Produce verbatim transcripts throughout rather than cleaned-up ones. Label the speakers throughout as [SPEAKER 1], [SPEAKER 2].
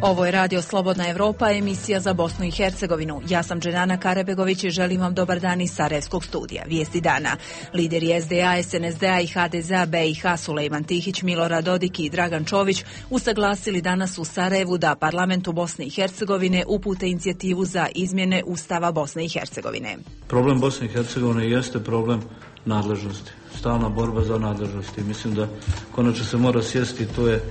[SPEAKER 1] Ovo je Radio Slobodna Evropa, emisija za Bosnu i Hercegovinu. Ja sam Dženana Karebegović i želim vam dobar dan iz Sarajevskog studija. Vijesti dana. Lideri S D A, S N S D-a i H D Z-a B i H Sulejman Tihić, Milorad Dodik i Dragan Čović usaglasili danas u Sarajevu da parlamentu Bosne i Hercegovine upute inicijativu za izmjene Ustava Bosne i Hercegovine.
[SPEAKER 2] Problem Bosne i Hercegovine jeste problem nadležnosti. Stalna borba za nadležnosti. Mislim da konačno se mora sjesti, to je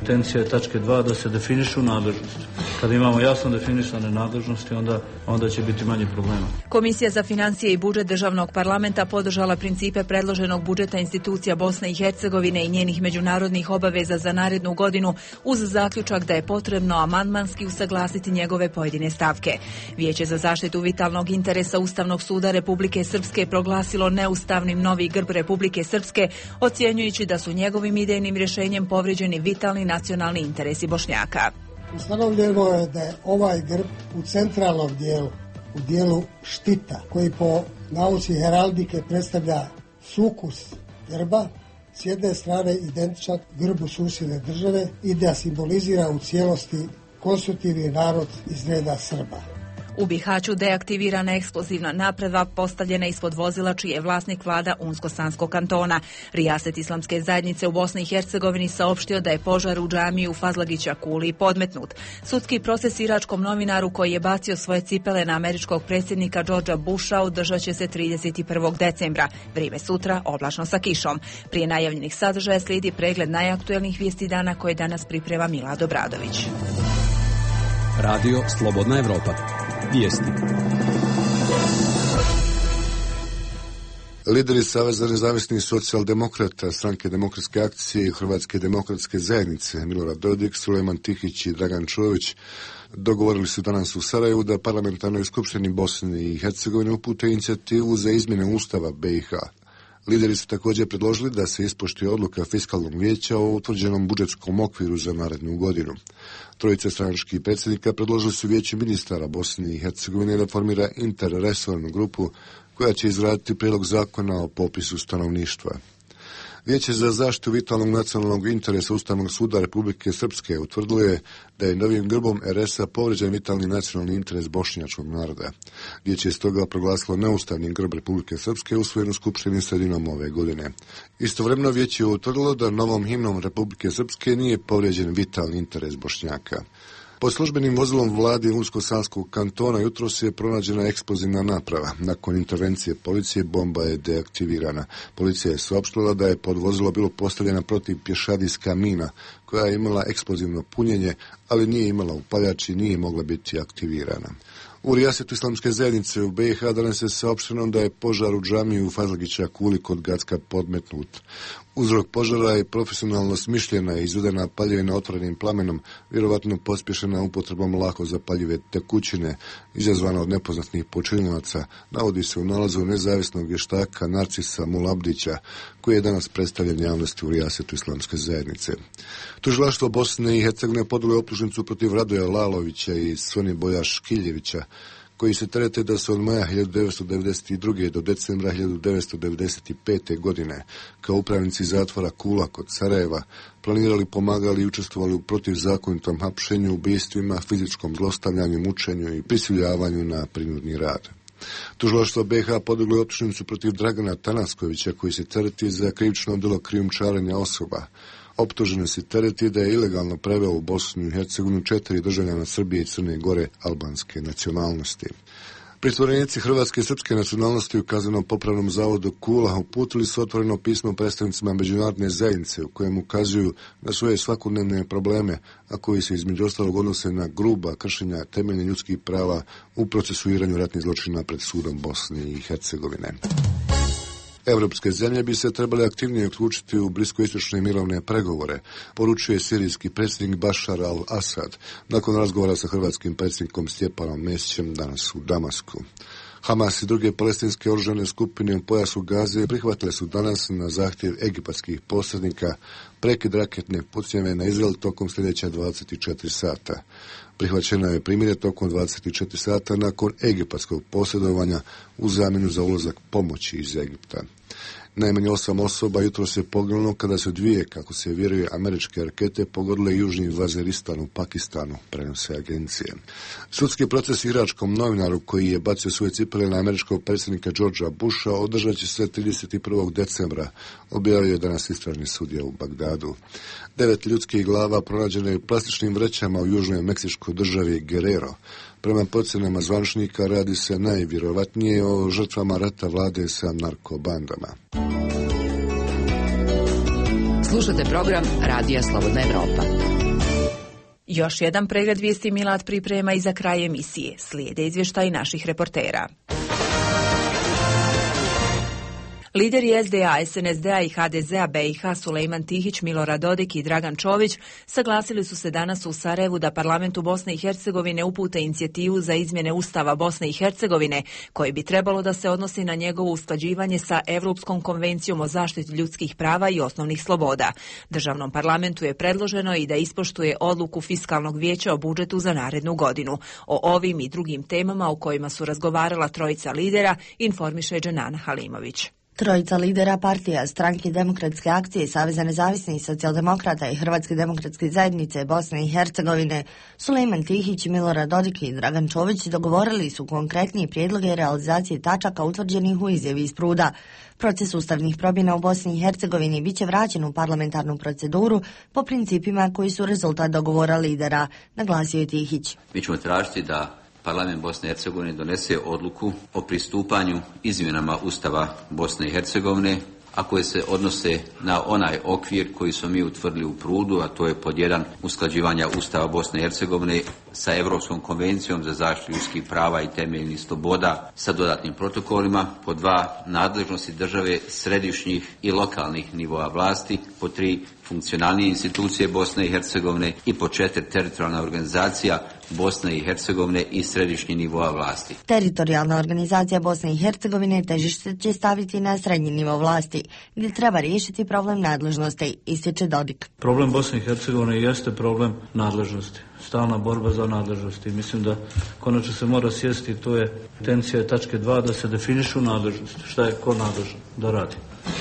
[SPEAKER 2] intencija je tačke dva da se definišu nadležnosti. Kada imamo jasno definisane nadležnosti, onda, onda će biti manje problema.
[SPEAKER 1] Komisija za financije i budžet državnog parlamenta podržala principe predloženog budžeta institucija Bosne i Hercegovine i njenih međunarodnih obaveza za narednu godinu uz zaključak da je potrebno amandmanski usaglasiti njegove pojedine stavke. Vijeće za zaštitu vitalnog interesa Ustavnog suda Republike Srpske proglasilo neustavnim novi grb Republike Srpske, ocjenjujući da su njegovim idejnim rješenjem povrijeđeni vitalni nacionalni interesi Bošnjaka.
[SPEAKER 3] Ustanovljeno je da je ovaj grb u centralnom dijelu, u dijelu štita, koji po nauci heraldike predstavlja sukus grba, s jedne strane identičan grbu susjedne države i da simbolizira u cijelosti konstitutivni narod iz reda Srba.
[SPEAKER 1] U Bihaću deaktivirana eksplozivna naprava postavljena ispod vozila čiji je vlasnik vlada Unsko-Sanskog kantona. Rijaset islamske zajednice u Bosni i Hercegovini saopštio da je požar u džamiji u Fazlagića Kuli podmetnut. Sudski proces iračkom novinaru koji je bacio svoje cipele na američkog predsjednika Georgea Busha održat će se trideset prvog decembra. Vrijeme sutra oblačno sa kišom. Prije najavljenih sadržaja slijedi pregled najaktuelnijih vijesti dana koje danas priprema Milad Obradović.
[SPEAKER 4] Radio Slobodna Evropa. Vijesti.
[SPEAKER 5] Lideri Saveza nezavisnih socijaldemokrata, Stranke demokratske akcije i Hrvatske demokratske zajednice Milorad Dodik, Sulejman Tihić i Dragan Čović dogovorili su danas u Sarajevu da parlamentarnoj skupštini Bosne i Hercegovine upute inicijativu za izmjene Ustava B i H. Lideri su također predložili da se ispoštuje odluka Fiskalnog vijeća o utvrđenom budžetskom okviru za narednu godinu. Trojica stranačkih predsjednika predložili su Vijeću ministara Bosne i Hercegovine da formira interresornu grupu koja će izraditi prijedlog zakona o popisu stanovništva. Vijeće za zaštitu vitalnog nacionalnog interesa Ustavnog suda Republike Srpske utvrdilo je da je novim grbom R S-a povrijeđen vitalni nacionalni interes bošnjačkog naroda. Vijeće je stoga proglasilo neustavni grb Republike Srpske usvojen u Skupštini sredinom ove godine. Istovremeno vijeće je utvrdilo da novom himnom Republike Srpske nije povrijeđen vitalni interes Bošnjaka. Pod službenim vozilom vlade Unsko-Sanskog kantona jutros je pronađena eksplozivna naprava. Nakon intervencije policije bomba je deaktivirana. Policija je saopštila da je pod vozilo bilo postavljena protiv pješadijska mina koja je imala eksplozivno punjenje, ali nije imala upaljač i nije mogla biti aktivirana. U Rijasetu islamske zajednice u B i H danas je saopšteno da je požar u džamiji u Fazlagića Kuli kod Gacka podmetnut. Uzrok požara je profesionalno smišljena i izvedena paljevina otvorenim plamenom, vjerovatno pospješena upotrebom lako zapaljive tekućine, izazvana od nepoznatih počinilaca, navodi se u nalazu nezavisnog vještaka Narcisa Mulabdića, koji je danas predstavljen javnosti u Rijasetu islamske zajednice. Tužilaštvo Bosne i Hercegovine podnijelo je optužnicu protiv Radoja Lalovića i Svoniboja Škiljevića, koji se terete da su od maja hiljadu devetsto devedeset druge do decembra hiljadu devetsto devedeset pete. godine kao upravnici zatvora Kula kod Sarajeva planirali, pomagali i učestvovali u protivzakonitom hapšenju, ubijstvima, fizičkom zlostavljanju, mučenju i prisiljavanju na prinudni rad. Tužilaštvo B i H podiglo je optužnicu protiv Dragana Tanaskovića, koji se tereti za krivično djelo krijumčarenja osoba. Optuženo se tereti da je ilegalno preveo u Bosnu i Hercegovinu četiri državljana Srbije i Crne Gore albanske nacionalnosti. Pritvorenici hrvatske i srpske nacionalnosti u Kaznenom popravnom zavodu Kula uputili su otvoreno pismo predstavnicima međunarodne zajednice u kojem ukazuju na svoje svakodnevne probleme, a koji se između ostalog odnose na gruba kršenja temeljnih ljudskih prava u procesuiranju ratnih zločina pred sudom Bosne i Hercegovine. Evropske zemlje bi se trebale aktivnije uključiti u bliskoistočne mirovne pregovore, poručuje sirijski predsjednik Bašar al-Asad nakon razgovora sa hrvatskim predsjednikom Stjepanom Mesićem danas u Damasku. Hamas i druge palestinske oružane skupine u pojasu Gaze prihvatile su danas na zahtjev egipatskih posrednika prekid raketne pucnjave na Izrael tokom sljedeća dvadeset četiri sata. Prihvaćeno je primirje tokom dvadeset četiri sata nakon egipatskog posredovanja u zamjenu za ulazak pomoći iz Egipta. Najmanje osam osoba jutro se poginulo kada su dvije, kako se vjeruje, američke rakete pogodile južni Vaziristan u Pakistanu, prenose agencije. Sudski proces iračkom novinaru koji je bacio svoje cipele na američkog predsjednika Georgea Busha održat će se trideset prvog decembra, objavio je danas istražni sudija u Bagdadu. Devet ljudskih glava pronađeno je u plastičnim vrećama u južnoj meksičkoj državi Guerrero. Prema procjenama zvaničnika radi se najvjerovatnije o žrtvama rata vlade sa narkobandama.
[SPEAKER 6] Slušate program Radija Slobodna Evropa.
[SPEAKER 1] Još jedan pregled vijesti Milad priprema i za kraj emisije. Slijede izvještaji naših reportera. Lideri S D A, S N S D-a i H D Z-a B i H Sulejman Tihić, Milorad Dodik i Dragan Čović saglasili su se danas u Sarajevu da parlamentu Bosne i Hercegovine upute inicijativu za izmjene Ustava Bosne i Hercegovine, koji bi trebalo da se odnosi na njegovo usklađivanje sa Evropskom konvencijom o zaštiti ljudskih prava i osnovnih sloboda. Državnom parlamentu je predloženo i da ispoštuje odluku Fiskalnog vijeća o budžetu za narednu godinu. O ovim i drugim temama o kojima su razgovarala trojica lidera informiše Dženana Halimović.
[SPEAKER 7] Trojica lidera partija, Stranke demokratske akcije, Saveza nezavisnih socijaldemokrata i Hrvatske demokratske zajednice Bosne i Hercegovine, Sulejman Tihić, Milorad Dodik i Dragan Čović dogovorili su konkretnije prijedloge realizacije tačaka utvrđenih u izjavi iz Pruda. Proces ustavnih promjena u Bosni i Hercegovini bit će vraćen u parlamentarnu proceduru po principima koji su rezultat dogovora lidera, naglasio je Tihić.
[SPEAKER 8] Mi ćemo tražiti da Parlament Bosne i Hercegovine donese odluku o pristupanju izmjenama Ustava Bosne i Hercegovine, a koje se odnose na onaj okvir koji smo mi utvrdili u Prudu, a to je pod jedan usklađivanja Ustava Bosne i Hercegovine sa Europskom konvencijom za zaštitu ljudskih prava i temeljnih sloboda sa dodatnim protokolima, pod dva nadležnosti države središnjih i lokalnih nivoa vlasti, pod tri funkcionalnije institucije Bosne i Hercegovine i po četiri teritorijalna organizacija Bosne i Hercegovine i središnji nivoa vlasti.
[SPEAKER 7] Teritorijalna organizacija Bosne i Hercegovine težište će staviti na srednji nivo vlasti, gdje treba riješiti problem nadležnosti, ističe Dodik.
[SPEAKER 2] Problem Bosne i Hercegovine jeste problem nadležnosti. Stalna borba za nadležnosti. Mislim da konačno se mora sjesti, to je intencija tačke dva, da se definišu nadležnosti. Šta je ko nadležan da radi.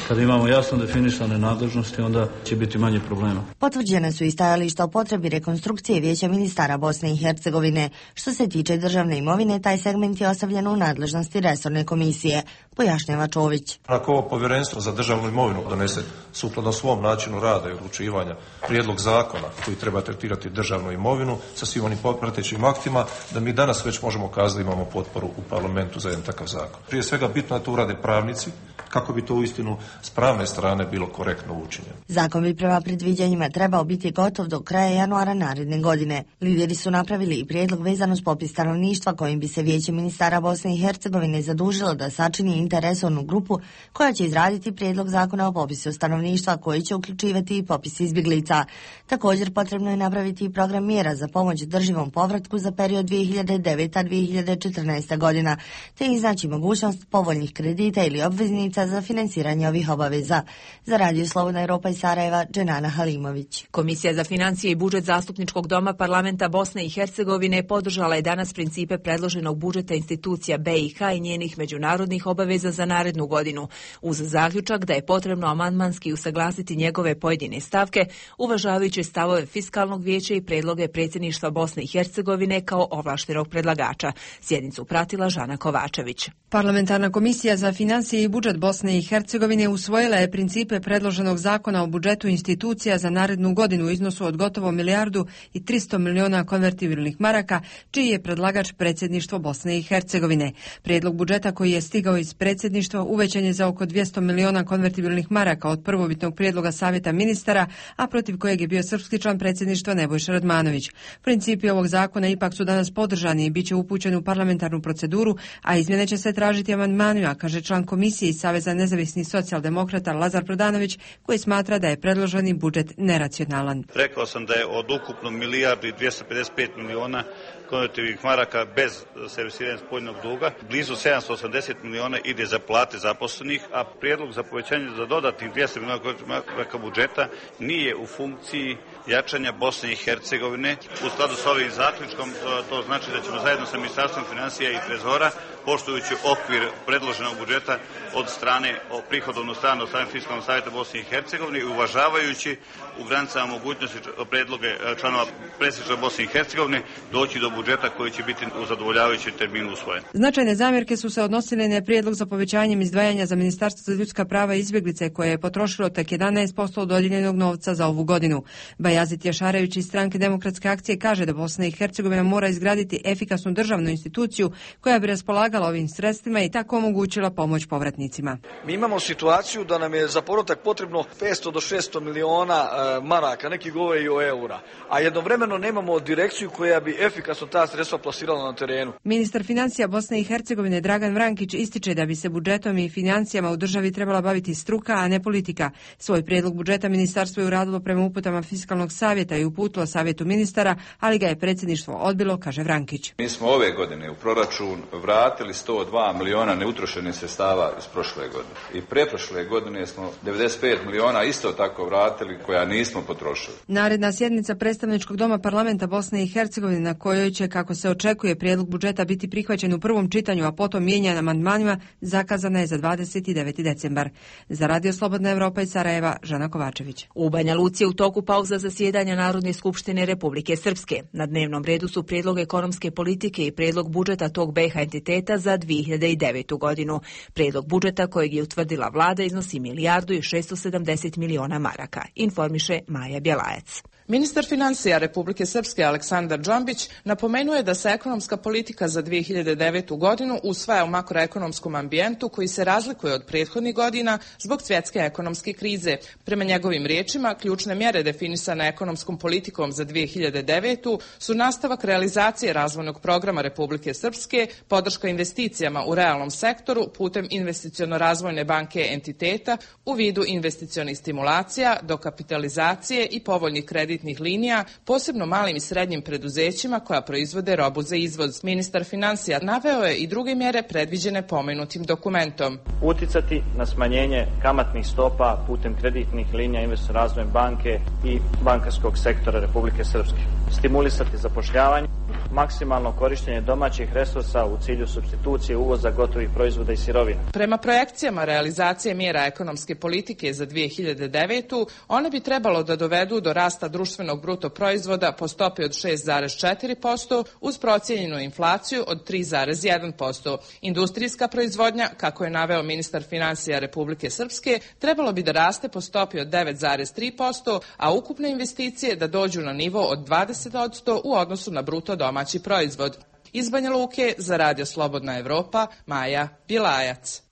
[SPEAKER 2] Kada imamo jasno definisane nadležnosti, onda će biti manje problema.
[SPEAKER 7] Potvrđene su i stajališta o potrebi rekonstrukcije Vijeća ministara Bosne i Hercegovine. Što se tiče državne imovine, taj segment je ostavljen u nadležnosti resorne komisije, pojašnjava Čović.
[SPEAKER 9] Ako ovo povjerenstvo za državnu imovinu donese sukladno svom načinu rada i odlučivanja prijedlog zakona koji treba tretirati državnu imovinu sa svim onim pratećim aktima, da mi danas već možemo kazati da imamo potporu u parlamentu za jedan takav zakon. Prije svega bitno je to urade pravnici, kako bi to uistinu s pravne strane bilo korektno učinjeno.
[SPEAKER 7] Zakon bi prema predviđanjima trebao biti gotov do kraja januara naredne godine. Lideri su napravili i prijedlog vezano s popis stanovništva kojim bi se Vijeće ministara Bosne i Hercegovine zadužilo da sačini interesovnu grupu koja će izraditi prijedlog zakona o popisu stanovništva koji će uključivati i popis izbjeglica. Također potrebno je napraviti i program mjera za pomoć drživom povratku za period dvije hiljade deveta do dvije hiljade četrnaeste godina, te iznaći mogućnost povoljnih kredita ili obveznica za financiranje ovih obaveza. Za Radio Slobodna Evropa iz Sarajeva, Dženana Halimović.
[SPEAKER 1] Komisija za financije i budžet Zastupničkog doma parlamenta Bosne i Hercegovine podržala je danas principe predloženog budžeta institucija B i H i njenih međunarodnih obaveza za narednu godinu, uz zaključak da je potrebno amandmanski usaglasiti njegove pojedine stavke, uvažavajući stavove Fiskalnog vijeća i predloge predsjedništva Bosne i Hercegovine kao ovlaštenog predlagača. Sjednicu pratila Žana Kovačević.
[SPEAKER 10] Parlamentarna komisija za financije i budžet Bosne i Hercegovine usvojila je principe predloženog zakona o budžetu institucija za narednu godinu u iznosu od gotovo milijardu i tristo miliona konvertibilnih maraka, čiji je predlagač predsjedništvo Bosne i Hercegovine. Prijedlog budžeta koji je stigao iz predsjedništva uvećan je za oko dvjesto miliona konvertibilnih maraka od prvobitnog prijedloga savjeta ministara, a protiv kojeg je bio srpski član predsjedništva Nebojša Radmanović. Principi ovog zakona ipak su danas podržani i bit će upućeni u parlamentarnu proceduru, a izmjene će se tražiti amandmanima, kaže član komisije iz Saveza nezavisnih socijaldemokrata Lazar Prodanović, koji smatra da je predloženi budžet neracionalan.
[SPEAKER 11] Rekao sam da je od ukupno milijardu i dvjesto pedeset pet miliona konvertibilnih maraka bez servisiranja spoljnog duga. Blizu sedamsto osamdeset miliona ide za plate zaposlenih, a prijedlog za povećanje za dodatnih dvjesto miliona maraka budžeta nije u funkciji jačanja Bosne i Hercegovine. U skladu s ovim zaključkom to znači da ćemo zajedno sa Ministarstvom financija i Trezora, poštujući okvir predloženog budžeta od strane o prihodovnu stranu od strane Fiskalnog savjeta Bosne i Hercegovine i uvažavajući u granicama mogućnosti predloge članova predsjedništva Bosne i Hercegovine doći do budžeta koji će biti u zadovoljavajućem terminu usvojen.
[SPEAKER 10] Značajne zamjerke su se odnosile na prijedlog za povećanjem izdvajanja za Ministarstvo za ljudska prava i izbjeglice koje je potrošilo tek jedanaest posto dodijeljenog novca za ovu godinu. Bajazit Jašarević iz Stranke demokratske akcije kaže da Bosna i Hercegovina mora izgraditi efikasnu državnu instituciju koja bi raspolagala ovim sredstvima i tako omogućila pomoć povratnicima.
[SPEAKER 12] Mi imamo situaciju da nam je za povratak potrebno petsto do šesto miliona e, maraka, neki govore i o eura, a jednovremeno nemamo direkciju koja bi efikasno ta sredstva plasirala na terenu.
[SPEAKER 10] Ministar financija Bosne i Hercegovine Dragan Vrankić ističe da bi se budžetom i financijama u državi trebala baviti struka, a ne politika. Svoj prijedlog budžeta ministarstvo je uradilo prema uputama Fiskalnog savjeta i uputilo savjetu ministara, ali ga je predsjedništvo odbilo, kaže Vrankić.
[SPEAKER 13] Mi smo ove godine u proračun vratili sto dva miliona neutrošenih sredstava iz prošle godine. I pretprošle godine smo devedeset pet miliona isto tako vratili koja nismo potrošili.
[SPEAKER 10] Naredna sjednica predstavničkog doma parlamenta Bosne i Hercegovine na kojoj će, kako se očekuje, prijedlog budžeta biti prihvaćen u prvom čitanju, a potom mijenjan amandmanima, zakazana je za dvadeset deveti decembar. Za Radio Slobodna Evropa iz Sarajeva, Žana Kovačević.
[SPEAKER 1] U Banja Luci je u toku pauza zasjedanja Narodne skupštine Republike Srpske. Na dnevnom redu su prijedlog ekonomske politike i prijedlog budžeta tog B iH entiteta za dvije hiljade devetu godinu. Prijedlog budžeta kojeg je utvrdila vlada iznosi milijardu i šesto sedamdeset miliona maraka, informiše Maja Bjelajac.
[SPEAKER 14] Ministar financija Republike Srpske Aleksandar Džambić napomenuo je da se ekonomska politika za dvije hiljade devetu godinu usvaja u makroekonomskom ambijentu koji se razlikuje od prethodnih godina zbog svjetske ekonomske krize. Prema njegovim riječima, ključne mjere definisane ekonomskom politikom za dvije hiljade devetu su nastavak realizacije razvojnog programa Republike Srpske, podrška investicijama u realnom sektoru putem investiciono-razvojne banke entiteta u vidu investicionih stimulacija, dokapitalizacije i povoljnih kreditnih linija, posebno malim i srednjim preduzećima koja proizvode robu za izvoz. Ministar financija naveo je i druge mjere predviđene pomenutim dokumentom.
[SPEAKER 15] Uticati na smanjenje kamatnih stopa putem kreditnih linija investiciono razvojne banke i bankarskog sektora Republike Srpske. Stimulisati zapošljavanje, maksimalno korištenje domaćih resursa u cilju supstitucije uvoza gotovih proizvoda i sirovina.
[SPEAKER 14] Prema projekcijama realizacije mjera ekonomske politike za dvije hiljade devetu, one bi trebalo da dovedu do rasta društvenog bruto proizvoda po stopi od šest zarez četiri posto uz procijenjenu inflaciju od tri zarez jedan posto. Industrijska proizvodnja, kako je naveo ministar financija Republike Srpske, trebalo bi da raste po stopi od devet zarez tri posto, a ukupne investicije da dođu na nivo od dvadeset posto u odnosu na bruto domaći proizvod. Iz Banja Luke za Radio Slobodna Evropa, Maja Bjelajac.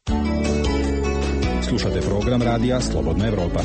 [SPEAKER 4] Slušate program Radija Slobodna Evropa.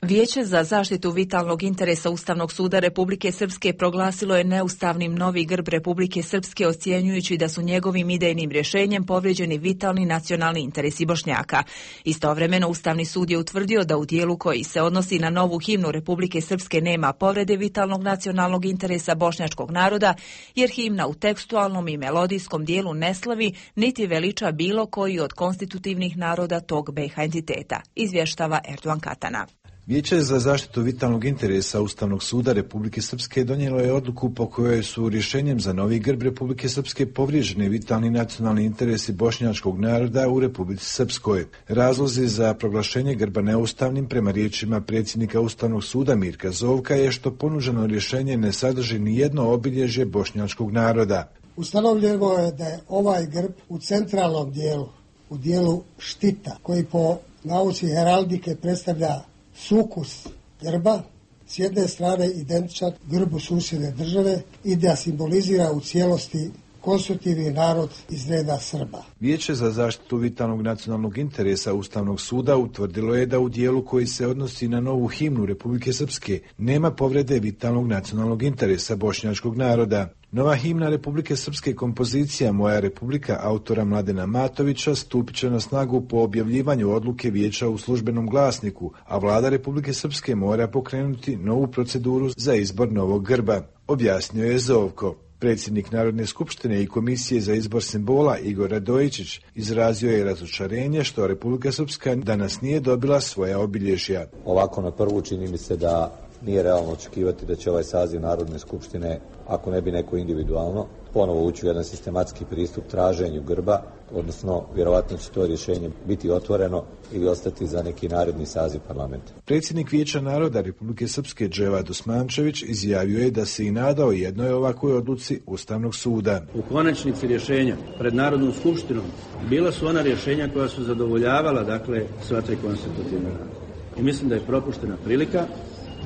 [SPEAKER 1] Vijeće za zaštitu vitalnog interesa Ustavnog suda Republike Srpske proglasilo je neustavnim novi grb Republike Srpske, ocjenjujući da su njegovim idejnim rješenjem povrijeđeni vitalni nacionalni interesi Bošnjaka. Istovremeno Ustavni sud je utvrdio da u dijelu koji se odnosi na novu himnu Republike Srpske nema povrede vitalnog nacionalnog interesa bošnjačkog naroda, jer himna u tekstualnom i melodijskom dijelu ne slavi niti veliča bilo koji od konstitutivnih naroda tog B iH entiteta, izvještava Erdogan Katana.
[SPEAKER 16] Vijeće za zaštitu vitalnog interesa Ustavnog suda Republike Srpske donijelo je odluku po kojoj su rješenjem za novi grb Republike Srpske povrijeđeni vitalni nacionalni interesi bošnjačkog naroda u Republici Srpskoj. Razlozi za proglašenje grba neustavnim prema riječima predsjednika Ustavnog suda Mirka Zovka je što ponuđeno rješenje ne sadrži ni jedno obilježje bošnjačkog naroda.
[SPEAKER 3] Ustanovljeno je da je ovaj grb u centralnom dijelu, u dijelu štita, koji po nauci heraldike predstavlja sukus grba, s jedne strane identičan grbu susjedne države i da simbolizira u cijelosti konstitutivni narod iz reda Srba.
[SPEAKER 16] Vijeće za zaštitu vitalnog nacionalnog interesa Ustavnog suda utvrdilo je da u dijelu koji se odnosi na novu himnu Republike Srpske nema povrede vitalnog nacionalnog interesa bošnjačkog naroda. Nova himna Republike Srpske kompozicija Moja Republika autora Mladena Matovića stupit će na snagu po objavljivanju odluke vijeća u službenom glasniku, a vlada Republike Srpske mora pokrenuti novu proceduru za izbor novog grba. objasnio je Zovko. Predsjednik Narodne skupštine i Komisije za izbor simbola Igor Radojičić izrazio je razočarenje što Republika Srpska danas nije dobila svoja obilježja.
[SPEAKER 17] Ovako na prvu čini mi se da nije realno očekivati da će ovaj saziv Narodne skupštine, ako ne bi neko individualno, ponovo ući u jedan sistematski pristup traženju grba, odnosno vjerovatno će to rješenje biti otvoreno ili ostati za neki naredni saziv parlamenta.
[SPEAKER 16] Predsjednik Vijeća naroda Republike Srpske Dževad Osmančević izjavio je da se i nadao jednoj ovakvoj odluci Ustavnog suda.
[SPEAKER 18] U konačnici rješenja pred Narodnom skupštinom bila su ona rješenja koja su zadovoljavala, dakle, sva tri konstitutivna naroda. I mislim da je propuštena prilika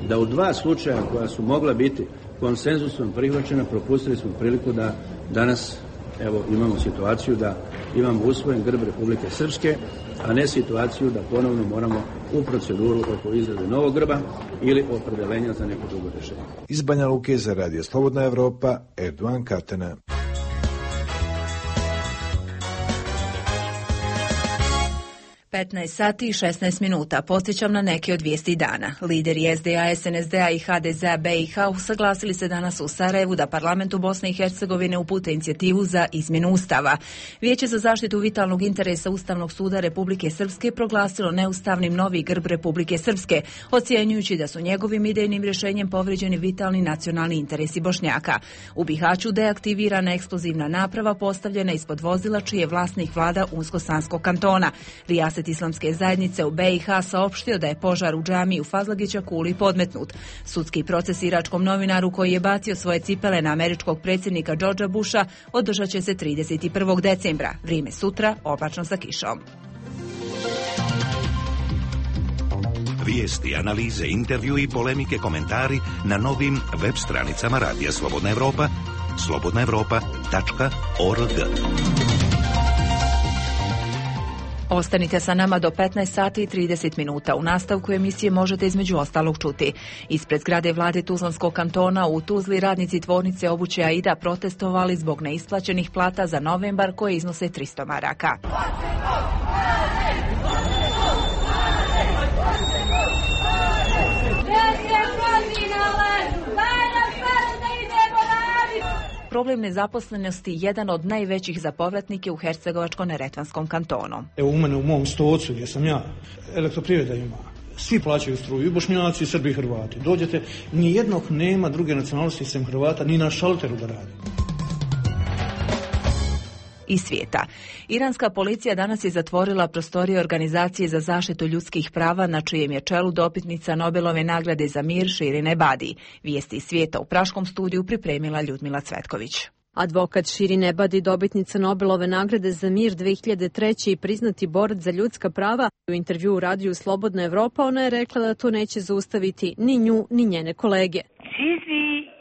[SPEAKER 18] da u dva slučaja koja su mogla biti konsenzusom prihvaćena, propustili smo priliku da danas evo imamo situaciju da imamo usvojen grb Republike Srpske, a ne situaciju da ponovno moramo u proceduru oko izrade novog grba ili opredelenja za neko drugo rješenje.
[SPEAKER 16] Iz Banja Luke za Radio Slobodna Evropa, Erdogan Katana.
[SPEAKER 1] petnaest sati i šesnaest minuta. Podsjećam na neke od vijesti dana. Lideri S D A, S N S D A i H D Z A B i H usaglasili se danas u Sarajevu da parlamentu Bosne i Hercegovine upute inicijativu za izmjenu Ustava. Vijeće za zaštitu vitalnog interesa Ustavnog suda Republike Srpske proglasilo neustavnim novi grb Republike Srpske, ocjenjujući da su njegovim idejnim rješenjem povrijeđeni vitalni nacionalni interesi Bošnjaka. U Bihaću deaktivirana eksplozivna naprava postavljena ispod vozila čiji je vlasnik vlada Unsko-Sanskog kantona. Rijaset Islamske zajednice u B i H saopštio da je požar u džamiji u Fazlagića Kuli podmetnut. Sudski proces iračkom novinaru koji je bacio svoje cipele na američkog predsjednika Georgea Busha održat će se trideset prvog decembra. Vrijeme sutra oblačno sa kišom.
[SPEAKER 19] Vijesti, analize, intervju i polemike, komentari na novim web stranicama Radija Slobodna Evropa, slobodna evropa tačka org.
[SPEAKER 1] Ostanite sa nama do petnaest sati i trideset minuta. U nastavku emisije možete između ostalog čuti. Ispred zgrade vlade Tuzlanskog kantona u Tuzli radnici tvornice obuće Aida protestovali zbog neisplaćenih plata za novembar koje iznose tristo maraka. Problem nezaposlenosti jedan od najvećih za povratnike u Hercegovačko-neretvanskom kantonu.
[SPEAKER 20] Evo u mene u mom stolcu gdje sam ja, elektroprivreda ima. Svi plaćaju struju, i Bošnjaci, i Srbi, i Hrvati. Dođete, nijednog nema druge nacionalnosti sem Hrvata, ni na šalteru da radi.
[SPEAKER 1] I svijeta. Iranska policija danas je zatvorila prostorije Organizacije za zaštitu ljudskih prava na čijem je čelu dopitnica Nobelove nagrade za mir Shirin Ebadi. Vijesti iz svijeta u praškom studiju pripremila Ljudmila Cvetković.
[SPEAKER 21] Advokat Shirin Ebadi, dobitnica Nobelove nagrade za mir dve hiljade treće i priznati borac za ljudska prava, u intervjuu u radiju Slobodna Evropa ona je rekla da to neće zaustaviti ni nju ni njene kolege.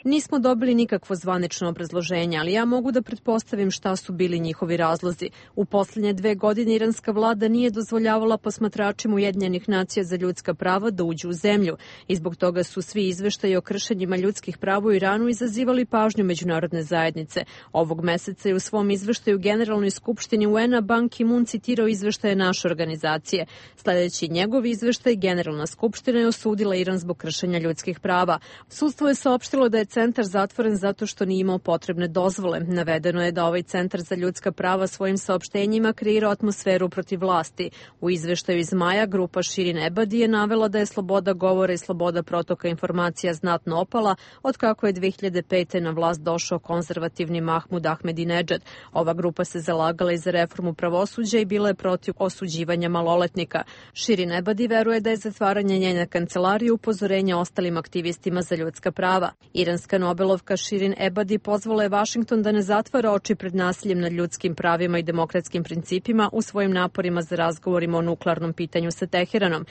[SPEAKER 21] Nismo dobili nikakvo zvanično obrazloženje, ali ja mogu da pretpostavim šta su bili njihovi razlozi. U posljednje dve godine iranska vlada nije dozvoljavala posmatračima Ujedinjenih nacija za ljudska prava da uđu u zemlju i zbog toga su svi izveštaji o kršenjima ljudskih prava u Iranu izazivali pažnju međunarodne zajednice. Ovog meseca je u svom izveštaju Generalnoj skupštini U N-a Ban Ki-moon citirao izveštaje naše organizacije. Sljedeći njegov izveštaj, Generalna skupština je osudila Iran zbog kršenja ljudskih prava. Sudstvo je saopštilo da je centar zatvoren zato što nije imao potrebne dozvole. Navedeno je da ovaj centar za ljudska prava svojim saopštenjima kreira atmosferu protiv vlasti. U izveštaju iz maja grupa Shirin Ebadi je navela da je sloboda govora i sloboda protoka informacija znatno opala od kako je dve hiljade pete. na vlast došao konzervativni Mahmud Ahmadinejad. Ova grupa se zalagala i za reformu pravosuđa i bila je protiv osuđivanja maloletnika. Shirin Ebadi veruje da je zatvaranje njene kancelarije upozorenja ostalim aktivistima za ljudska prava. Iranska Nobelovka Shirin Ebadi pozvala je Vašington da ne zatvara oči pred nasiljem nad ljudskim pravima i demokratskim principima u svojim naporima za razgovorima o nuklearnom pitanju sa Teheranom.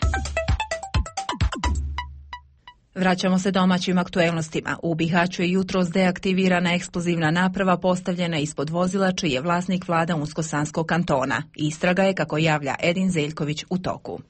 [SPEAKER 1] Vraćamo se domaćim aktuelnostima. U Bihaću je jutros deaktivirana eksplozivna naprava postavljena ispod vozila čiji je vlasnik vlada Unsko-Sanskog kantona. Istraga je, kako javlja Edin Zeljković, u toku.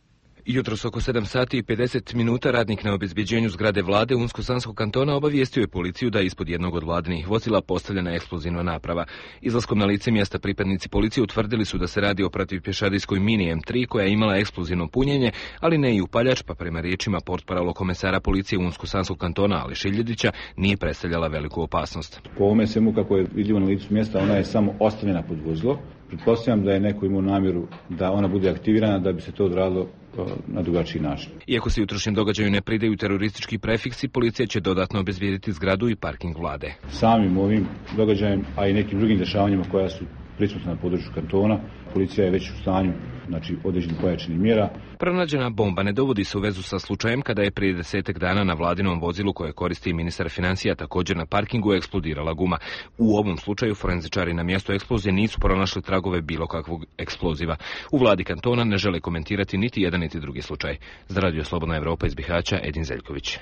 [SPEAKER 5] Jutros oko sedam sati i pedeset minuta radnik na obezbeđenju zgrade vlade Unsko-Sanskog kantona obavijestio je policiju da je ispod jednog od vladinih vozila postavljena eksplozivna naprava. Izlaskom na lice mjesta pripadnici policije utvrdili su da se radi o protivpješadijskoj mini em tri koja je imala eksplozivno punjenje, ali ne i upaljač, pa prema riječima portparolo komesara policije Unsko-Sanskog kantona Ali Šiljedića nije predstavljala veliku opasnost.
[SPEAKER 22] Po ovome svemu kako je vidljivo na licu mjesta, ona je samo ostavljena pod vozilo. Pretpostavljam da je neko imao namjeru da ona bude aktivirana da bi se to odradilo na drugačiji način.
[SPEAKER 5] Iako se jutrošnjem događaju ne pridaju teroristički prefiksi, policija će dodatno obezbijediti zgradu i parking vlade.
[SPEAKER 22] Samim ovim događajem, a i nekim drugim dešavanjima koja su prisutna na području kantona, policija je već u stanju, znači, određenih pojačanih mjera.
[SPEAKER 5] Pronađena bomba ne dovodi se u vezu sa slučajem kada je prije desetak dana na vladinom vozilu koje koristi ministar financija također na parkingu eksplodirala guma. U ovom slučaju forenzičari na mjestu eksplozije nisu pronašli tragove bilo kakvog eksploziva. U vladi kantona ne žele komentirati niti jedan niti drugi slučaj. Za Radio Slobodna Evropa iz Bihaća, Edin Zeljković.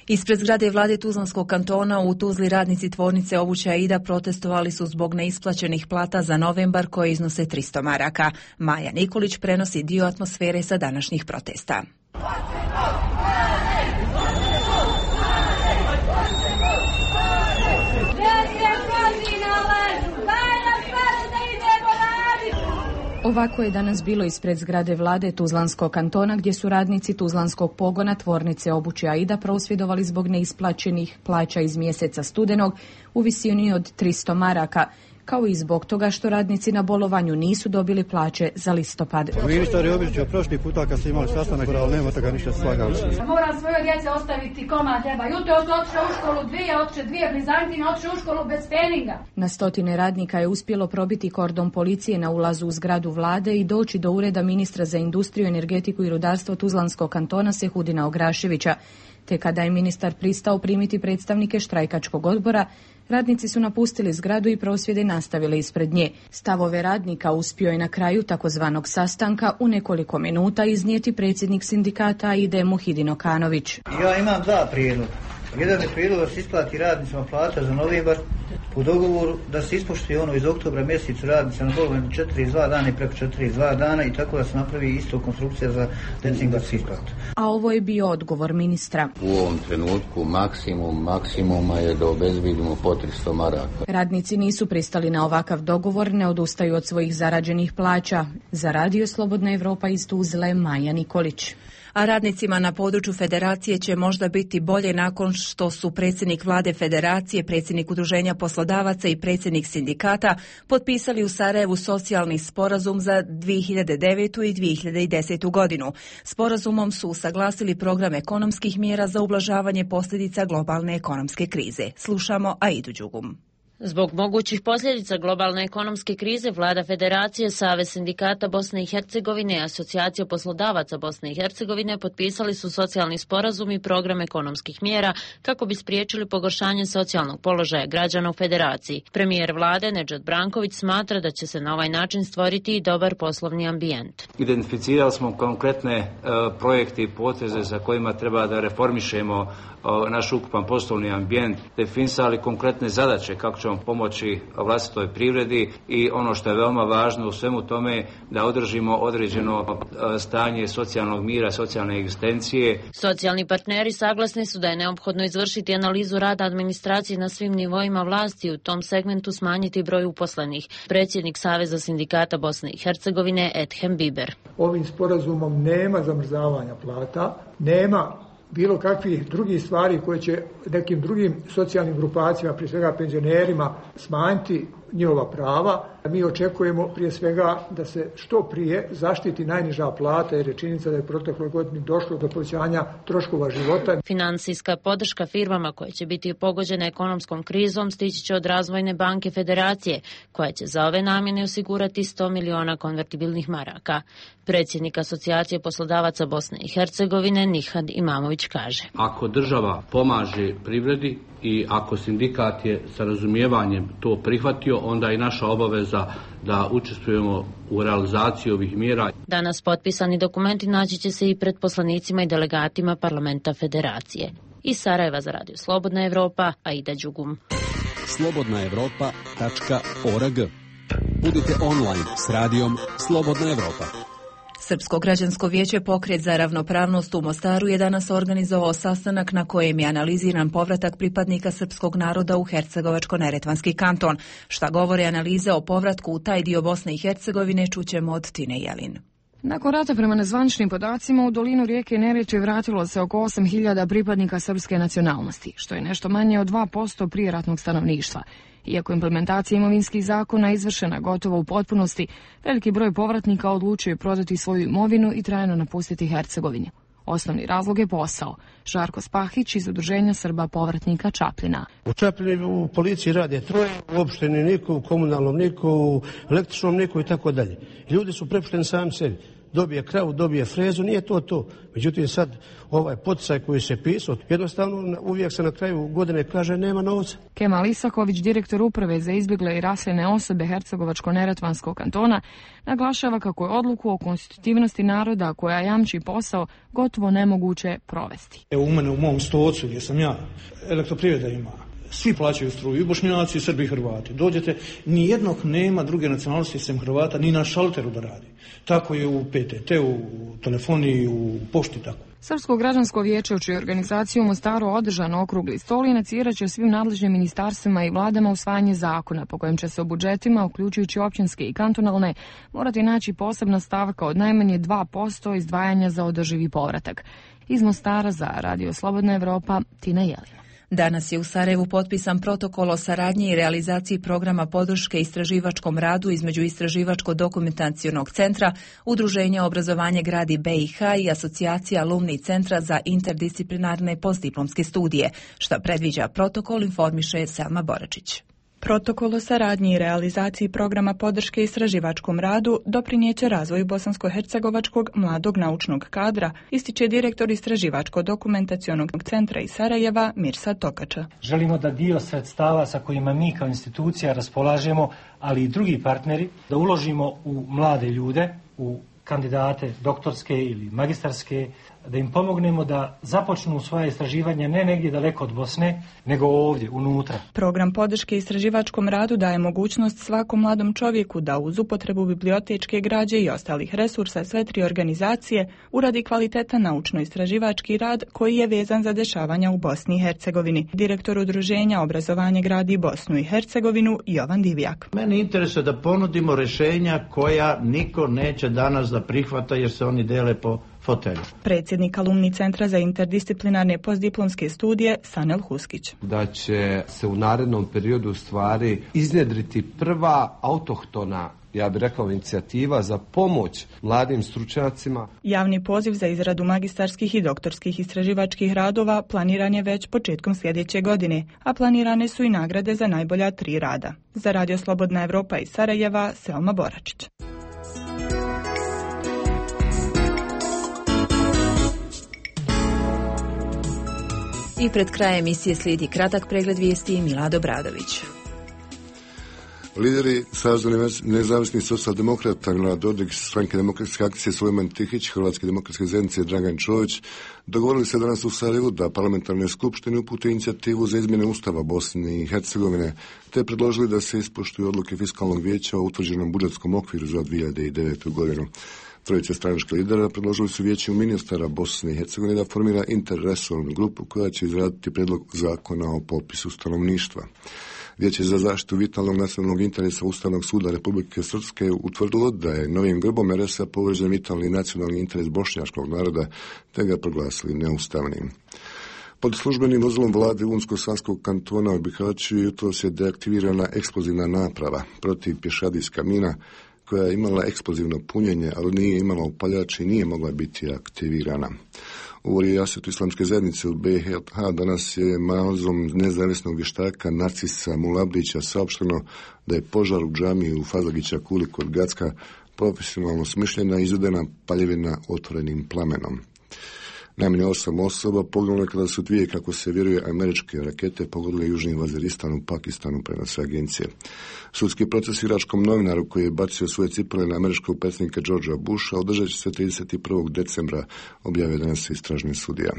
[SPEAKER 1] Ispred zgrade vlade Tuzlanskog kantona u Tuzli radnici tvornice obuće Aida protestovali su zbog neisplaćenih plata za novembar koje iznose tristo maraka. Maja Nikolić prenosi dio atmosfere sa današnjih protesta.
[SPEAKER 21] Ovako je danas bilo ispred zgrade vlade Tuzlanskog kantona gdje su radnici Tuzlanskog pogona tvornice obuće Aida prosvjedovali zbog neisplaćenih plaća iz mjeseca studenog u visini od tristo maraka, kao i zbog toga što radnici na bolovanju nisu dobili plaće za listopad.
[SPEAKER 23] Ministar je običio prošli puta kad ste imali sastanak, ali nema toga ništa slagali.
[SPEAKER 24] Moram svoje djece ostaviti komad ljeba. Jutro su otišle u školu dvije, otišle dvije Bizantine, otišle u školu bez treninga.
[SPEAKER 21] Na stotine radnika je uspjelo probiti kordon policije na ulazu u zgradu vlade i doći do ureda ministra za industriju, energetiku i rudarstvo Tuzlanskog kantona Sehudina Ograševića. Te kada je ministar pristao primiti predstavnike štrajkačkog odbora, radnici su napustili zgradu i prosvjede nastavili ispred nje. Stavove radnika uspio je na kraju takozvanog sastanka u nekoliko minuta iznijeti predsjednik sindikata Aide Muhidin Okanović.
[SPEAKER 23] Ja imam dva prijedloga. Jedan je prijedlog da se isplati radnicima plata za novembar u dogovoru, da se ispoštuje ono iz oktobra mjesecu radnica na bolovanju četiri dva dana i preko četiri dva dana i tako da se napravi isto konstrukcija za decembarsku isplatu.
[SPEAKER 21] A ovo je bio odgovor ministra.
[SPEAKER 25] U ovom trenutku maksimum maksimuma je da obezbedimo po tristo maraka.
[SPEAKER 21] Radnici nisu pristali na ovakav dogovor, ne odustaju od svojih zarađenih plaća. Za Radio Slobodna Evropa iz Tuzle, Maja Nikolić.
[SPEAKER 1] A radnicima na području federacije će možda biti bolje nakon što su predsjednik vlade federacije, predsjednik udruženja poslodavaca i predsjednik sindikata potpisali u Sarajevu socijalni sporazum za dvije hiljade devetu i dvije hiljade desetu godinu. Sporazumom su usaglasili program ekonomskih mjera za ublažavanje posljedica globalne ekonomske krize. Slušamo Aidu Đugum.
[SPEAKER 26] Zbog mogućih posljedica globalne ekonomske krize, vlada Federacije, Savez sindikata Bosne i Hercegovine i Asocijacija poslodavaca Bosne i Hercegovine potpisali su socijalni sporazum i program ekonomskih mjera kako bi spriječili pogoršanje socijalnog položaja građana u Federaciji. Premijer vlade Nedžad Branković smatra da će se na ovaj način stvoriti i dobar poslovni ambijent.
[SPEAKER 27] Identificirali smo konkretne uh, projekte i poteze za kojima treba da reformišemo uh, naš ukupan poslovni ambijent, definisali konkretne zadaće kako ćemo pomoći vlastitoj privredi i ono što je veoma važno u svemu tome da održimo određeno stanje socijalnog mira, socijalne egzistencije.
[SPEAKER 26] Socijalni partneri saglasni su da je neophodno izvršiti analizu rada administracije na svim nivoima vlasti i u tom segmentu smanjiti broj uposlenih. Predsjednik Saveza sindikata Bosne i Hercegovine Edhem Biber.
[SPEAKER 28] Ovim sporazumom nema zamrzavanja plata, nema bilo kakvih drugih stvari koje će nekim drugim socijalnim grupacijama, prije svega penzionerima, smanjiti njihova prava. Mi očekujemo prije svega da se što prije zaštiti najniža plata jer je činjenica da je protekloj godini došlo do povećanja troškova života.
[SPEAKER 26] Financijska podrška firmama koje će biti pogođene ekonomskom krizom stići će od Razvojne banke Federacije, koja će za ove namjene osigurati sto miliona konvertibilnih maraka. Predsjednik Asocijacije poslodavaca Bosne i Hercegovine Nihad Imamović kaže:
[SPEAKER 2] Ako država pomaže privredi i ako sindikat je sa razumijevanjem to prihvatio, onda je naša obaveza da učestvujemo u realizaciji ovih mjera.
[SPEAKER 26] Danas potpisani dokumenti naći će se i pred poslanicima i delegatima parlamenta Federacije. Iz Sarajeva za Radio Slobodna Evropa, Aida Đugum.
[SPEAKER 4] slobodna evropa tačka org. Budite online s radijom Slobodna Evropa.
[SPEAKER 1] Srpsko građansko vijeće Pokret za ravnopravnost u Mostaru je danas organizovao sastanak na kojem je analiziran povratak pripadnika srpskog naroda u Hercegovačko-neretvanski kanton. Šta govore analize o povratku u taj dio Bosne i Hercegovine čućemo od Tine Jelin.
[SPEAKER 6] Nakon rata prema nezvaničnim podacima u dolinu rijeke Neretve vratilo se oko osam hiljada pripadnika srpske nacionalnosti, što je nešto manje od dva posto prijeratnog stanovništva. Iako implementacija imovinskih zakona izvršena gotovo u potpunosti, veliki broj povratnika odlučio je prodati svoju imovinu i trajno napustiti Hercegovinu. Osnovni razlog je posao. Žarko Spahić iz Udruženja Srba povratnika Čapljina.
[SPEAKER 7] U Čapljini u policiji rade troje, u opštini niko, u komunalnom niko, u električnom niko i tako dalje. Ljudi su prepušteni sami sebi. Dobije kravu, dobije frezu, nije to to. Međutim, sad ovaj poticaj koji se pisao, jednostavno uvijek se na kraju godine kaže nema novca.
[SPEAKER 6] Kemal Isaković, direktor uprave za izbjegle i raseljene osobe Hercegovačko-neretvanskog kantona, naglašava kako je odluku o konstitutivnosti naroda koja jamči posao gotovo nemoguće provesti.
[SPEAKER 20] Evo u mene u mom stocu gdje sam ja, elektroprivreda ima. Svi plaćaju struju, i Bošnjaci, i Srbi, i Hrvati. Dođete, ni jednog nema druge nacionalnosti sem Hrvata, ni na šalteru da radi. Tako je u P T T, u telefoniji, u pošti, tako.
[SPEAKER 6] Srpsko građansko vijeće, u čiju organizaciju u Mostaru održan okrugli stol, inicirat će svim nadležnim ministarstvima i vladama usvajanje zakona po kojem će se u budžetima, uključujući općinske i kantonalne, morati naći posebna stavka od najmanje dva posto izdvajanja za održivi povratak. Iz Mostara za Radio Slobodna Evropa, Tina Jelina.
[SPEAKER 1] Danas je u Sarajevu potpisan protokol o saradnji i realizaciji programa podrške istraživačkom radu između Istraživačko-dokumentacionog centra, Udruženja obrazovanje gradi B i H i Asocijacija alumni centra za interdisciplinarne postdiplomske studije. Šta predviđa protokol, informiše Selma Boračić.
[SPEAKER 8] Protokol o saradnji i realizaciji programa podrške istraživačkom radu doprinijeće razvoju bosansko-hercegovačkog mladog naučnog kadra, ističe direktor Istraživačko-dokumentacionog centra iz Sarajeva Mirsad Tokača.
[SPEAKER 9] Želimo da dio sredstava sa kojima mi kao institucija raspolažemo, ali i drugi partneri, da uložimo u mlade ljude, u kandidate doktorske ili magistarske, da im pomognemo da započnu svoje istraživanje ne negdje daleko od Bosne, nego ovdje, unutra.
[SPEAKER 8] Program podrške istraživačkom radu daje mogućnost svakom mladom čovjeku da uz upotrebu bibliotečke građe i ostalih resursa sve tri organizacije uradi kvalitetan naučno-istraživački rad koji je vezan za dešavanja u Bosni i Hercegovini. Direktor Udruženja obrazovanje gradi Bosnu i Hercegovinu Jovan Divjak.
[SPEAKER 10] Meni interesuje da ponudimo rješenja koja niko neće danas da prihvata jer se oni dele po fotelju.
[SPEAKER 8] Predsjednik alumni centra za interdisciplinarne postdiplomske studije Sanel Huskić.
[SPEAKER 11] Da će se u narednom periodu stvari iznjedriti prva autohtona, ja bih rekao, inicijativa za pomoć mladim stručnjacima.
[SPEAKER 8] Javni poziv za izradu magistarskih i doktorskih istraživačkih radova planiran je već početkom sljedeće godine, a planirane su i nagrade za najbolja tri rada. Za Radio Slobodna Evropa iz Sarajeva, Selma Boračić.
[SPEAKER 1] I pred krajem emisije slijedi kratak pregled vijesti i Milado Bradović.
[SPEAKER 12] Lideri Saveza nezavisnih socijaldemokrata Milorad Dodik, Stranke demokratske akcije Sulejman Tihić, Hrvatske demokratske zajednice Dragan Čović dogovorili se danas u Sarajevu da parlamentarne skupštine upute inicijativu za izmjene Ustava Bosne i Hercegovine, te predložili da se ispoštuju odluke Fiskalnog vijeća o utvrđenom budžetskom okviru za dvije hiljade devetu. godinu. Trojice stranačkih lidera predložili su vijeću ministara Bosne i Hercegovine da formira interresornu grupu koja će izraditi predlog zakona o popisu stanovništva. Vijeće za zaštitu vitalnog nacionalnog interesa Ustavnog suda Republike Srpske utvrdilo da je novim grbom er es a povrijeđen vitalni nacionalni interes bošnjačkog naroda, te ga proglasili neustavnim. Pod službenim vozilom vlade Unsko-Sanskog kantona u Bihaću jutros je deaktivirana eksplozivna naprava protiv pješadijska mina koja je imala eksplozivno punjenje, ali nije imala upaljač i nije mogla biti aktivirana. U Rijasetu islamske zajednice u B i H danas je nalazom nezavisnog vještaka Narcisa Mulabdića saopšteno da je požar u džamiji u Fazlagića Kuli kod Gacka profesionalno smišljena i izvedena paljevina otvorenim plamenom. Najmanje osam osoba poginulo kada su dvije, kako se vjeruje, američke rakete pogodile južni Vaziristan u Pakistanu, prenose agencije. Sudski proces iračkom novinaru koji je bacio svoje cipele na američkog predsjednika Georgea Busha održat će se trideset prvog decembra, objavio danas istražni sudija.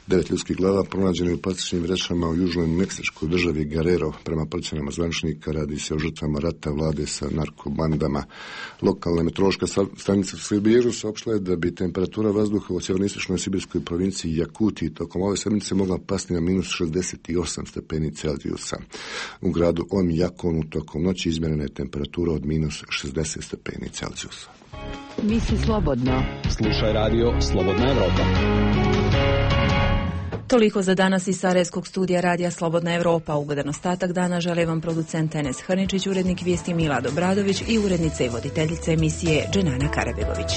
[SPEAKER 12] Devet ljudskih glava pronađeni u plastičnim vrećama u južnoj meksičkoj državi Guerrero. Prema procjenama zvaničnika radi se o žrtvama rata vlade sa narkobandama. Lokalna meteorološka stanica u Sibiru saopštila je da bi temperatura vazduha u sjevernoistočnoj sibirskoj provinciji Jakuti tokom ove sedmice mogla pasti na minus šezdeset osam stepeni Celzijusa. U gradu Omjakonu tokom noći izmjerena je temperatura od minus šezdeset stepeni Celzijusa.
[SPEAKER 3] Misli slobodno.
[SPEAKER 4] Slušaj radio Slobodna Evropa.
[SPEAKER 1] Toliko za danas iz Sarajevskog studija radija Slobodna Evropa. Ugodan ostatak dana žele vam producent Enes Hrničić, urednik vijesti Milad Obradović i urednica i voditeljica emisije Dženana Karabegović.